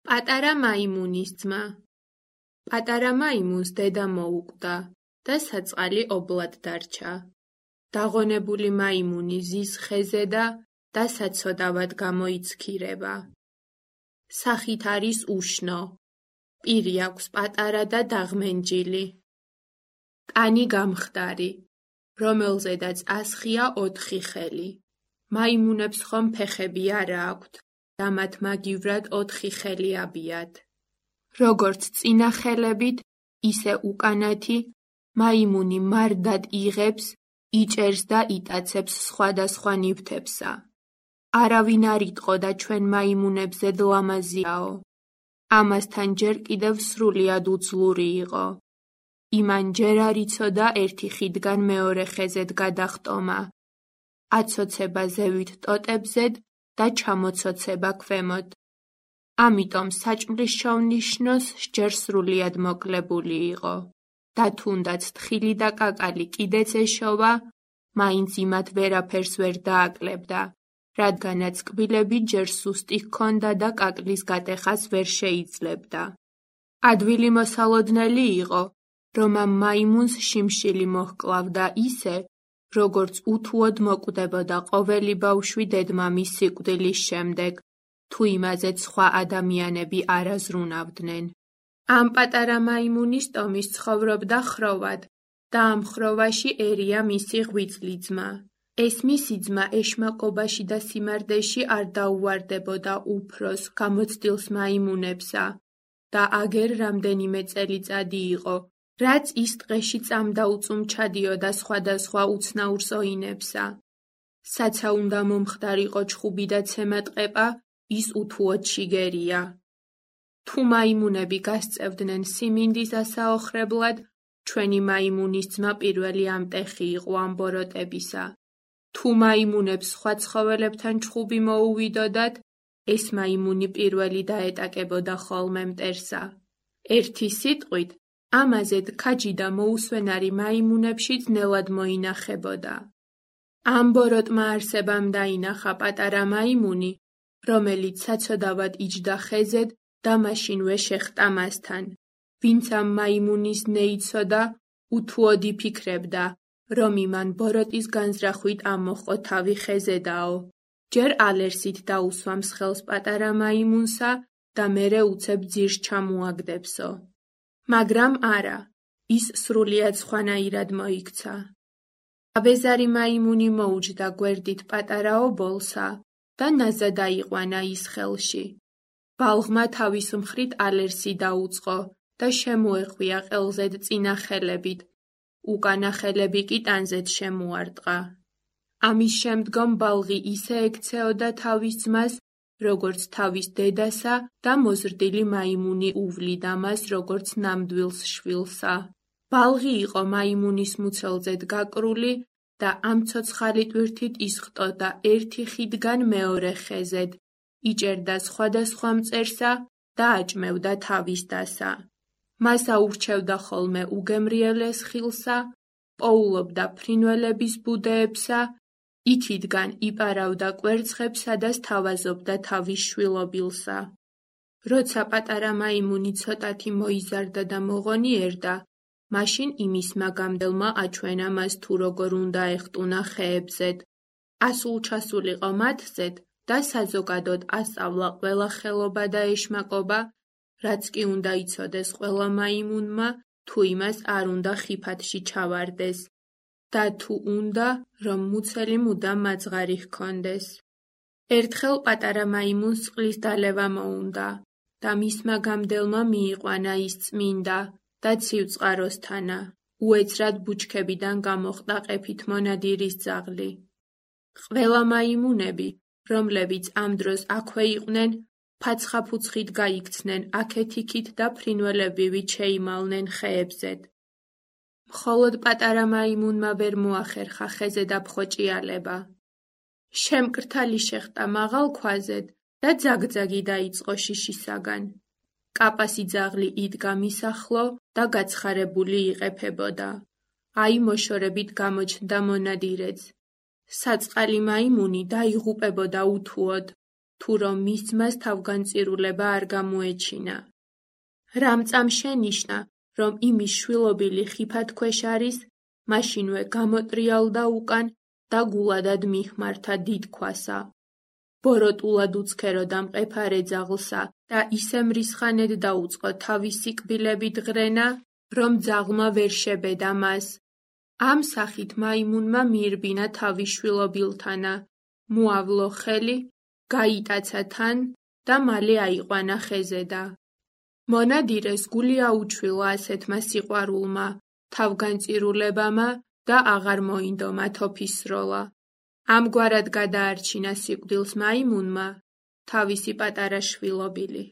პატარა მაიმუნის ძმა. პატარა მაიმუნს დედა მოუკვდა და საწყალი ობლად დარჩა. დაღონებული მაიმუნი ზის ხეზე და საცოდავად გამოიცქირება. სახით არის უშნო. პირი აქვს პატარა და დაღმენჯილი. კანი გამხდარი, რომელზედაც ასხია 4 ხელი. მაიმუნებს ხომ ფეხები არა აქვთ და მათ მაგივრად 4 ხელი აბიათ. როგორც წინა ხელებით, ისე უკანათი, მაიმუნი მარდად იღებს, იჭერს და იტაცებს სხვადასხვა ნივთებსა. არავინ არ იტყო და ჩვენ მაიმუნებზე ლამაზიაო. ამასთან ჯერ კიდევ სრულიად უძლური იყო. იმან ჯერ არ იცოდა ერთი ხიდგან მეორე ხეზედ გადახტომა. აცოცება ზევით ტოტებზედ და ჩამოცოცება ქვემოთ. ამიტომ საჭმლის შოვნიშნოს ჯერ სრულიად მოკლებული იყო. და თუნდაც თხილი და კაკალი კიდეც ეშოვა, მაინც იმათ ვერაფერს ვერ დააკლებდა, რადგანაც კბილები ჯერ სუსტი ჰქონდა და კაკლის გატეხას ვერ შეიძლებდა. ადვილი მოსალოდნელი იყო, რომ ამ მაიმუნს შიმშილი მოჰკლავდა ისე, როგორც უთუოდ მოკვდებოდა ყოველი ბავშვი დედმამის სიკვდილის შემდეგ, თუ იმაზე სხვა ადამიანები არ აზრუნავდნენ. ამ პატარა მაიმუნის ტომის ცხოვრობდა ხროვად და ამ ხროვაში ერია მისი ღვიძლი ძმა. ეს მისი ძმა ეშმაკობაში და სიმარდეში არ დაუვარდებოდა უფროს გამოცდილს მაიმუნებსა და აგერ რამდენიმე წელიწადი იყო, რაც ის ტყეში წამდაუწუმ ჩადიოდა სხვადასხვა უცნაურ ზოინებსა. საცა უნდა მომხდარიყო ჩხუბი და ცემა ტყეპა, ის უთუოდ შიგერია. თუ მაიმუნები გასწევდნენ სიმინდის ასაოხრებლად, ჩვენი მაიმუნის ძმა პირველი ამტეხი იყო ამ ბოროტებისა. თუ მაიმუნებს სხვა ცხოველებთან ჩხუბი მოუვიდოდათ, ეს მაიმუნი პირველი დაეტაკებოდა ხოლმე მტერსა. ერთი სიტყვით, ამაზე ქაჯი და მოუსვენარი მაიმუნებში ძნელად მოინახებოდა. ამ ბოროტმა არსებამ დაინახა პატარა მაიმუნი, რომელიც საცოდავად იჯდა ხეზედ და მაშინვე შეხტა მასთან. ვინც ამ მაიმუნის ნეიცოდა, უთუოდ იფიქრებდა, რომ იმან ბოროტის განზრახვით ამოჰყო თავი ხეზედაო. ჯერ ალერსით დაუსვამს ხელს პატარა მაიმუნსა და მერე უცებ ძირს ჩამოაგდებსო. მაგრამ არა, ის სრულიად სხვანაირად მოიქცა. აბეზარი მაიმუნი მოუჯდა გვერდით პატარა ობოლსა და ნაზა დაიყვანა ის ხელში. ბალღმა თავის მხრით ალერსი დაუწყო და შემოეხვია ყელზედ წინა ხელებით, უკანა ხელები კი ტანზედ შემოარტყა. ამის შემდგომ ბალღი ისე ექცეოდა თავის ძმას, როგორც თავის დედასა და მოზრდილი მაიმუნი უვლიდა მას, როგორც ნამდვილს შვილსა. ბალღი იყო მაიმუნის მუცელზედ გაკრული და ამ ცოცხალი ტვირთით ისხტოდა ერთი ხიდგან მეორე ხეზედ, იჭერდა სხვადასხვა მწერსა და აჭმევდა თავის დასა. მას აურჩევდა ხოლმე უგემრიელეს ხილსა, პოულობდა ფრინველების ბუდეებსა, იქითგან იპარავდა კვერცხებსა და სთავაზობდა თავის შვილობილსა. როცა პატარა მაიმუნი ცოტათი მოიზარდა და მოღონიერდა, მაშინ იმის მაგამდელმა აჩვენა მას თუ როგორ უნდა ეხტუნა ხეებზედ. ასულ-ჩასულიყო მათზედ და საზოგადოდ ასწავლა ყველა ხელობა და ეშმაკობა, რაც კი უნდა იცოდეს ყველა მაიმუნმა, თუ იმას არ უნდა ხიფათში ჩავარდეს და თუ უნდა, რომ მუცელი მუდამ მაძღარი ჰქონდეს. ერთხელ პატარა მაიმუნს წყლის დალევა მოუნდა და მისმა გამდელმა მიიყვანა ის წმინდა და ცივწყაროსთანა. უეცრად ბუჩქებიდან გამოხდა ყეფით მონადირის ძაღლი. ყველა მაიმუნები, რომლებიც ამ დროს აქვე იყვნენ, ფაცხაფუცხით გაიქცნენ აქეთ-იქით და ფრინველებივით შეიმალნენ ხეებზედ. მხოლოდ პატარა მაიმუნმა ვერ მოახერხა ხეზე დაფხოჭიალება. შემკრთალი შეხტა მაღალ ქვაზედ და ძაგძაგი დაიწყო შიშისაგან. კაპასი ძაღლი იდგა მის ახლო და გაცხარებული იყეფებოდა. აი მოშორებით გამოჩნდა მონადირეც. საწყალი მაიმუნი დაიღუპებოდა უთუოდ, თუ რომ მის ძმას თავგანწირულება არ გამოეჩინა. რამწამ შენიშნა, რომ იმის შვილობილი ხიფად ქვეშ არის, მაშინვე გამოტრიალდა უკან და გულადად მიხმართა დიდ ქვასა. ბოროტულად უცქეროდა მყეფარე ძაღლსა და ისე მრისხანედ დაუწყო თავისი კბილებით ღრენა, რომ ძაღლმა ვერ შებედა მას. ამ სახით მაიმუნმა მიირბინა თავის შვილობილთანა, მოავლო ხელი, გაიტაცა თან და მალე აიყვანა ხეზედა. მონადირეს გული აუჩვილა ასეთმა სიყვარულმა, თავგანწირულებამა და აღარ მოინდომა თოფისროლა. ამგვარად გადაარჩინა სიკვდილს მაიმუნმა თავისი პატარა შვილობილი.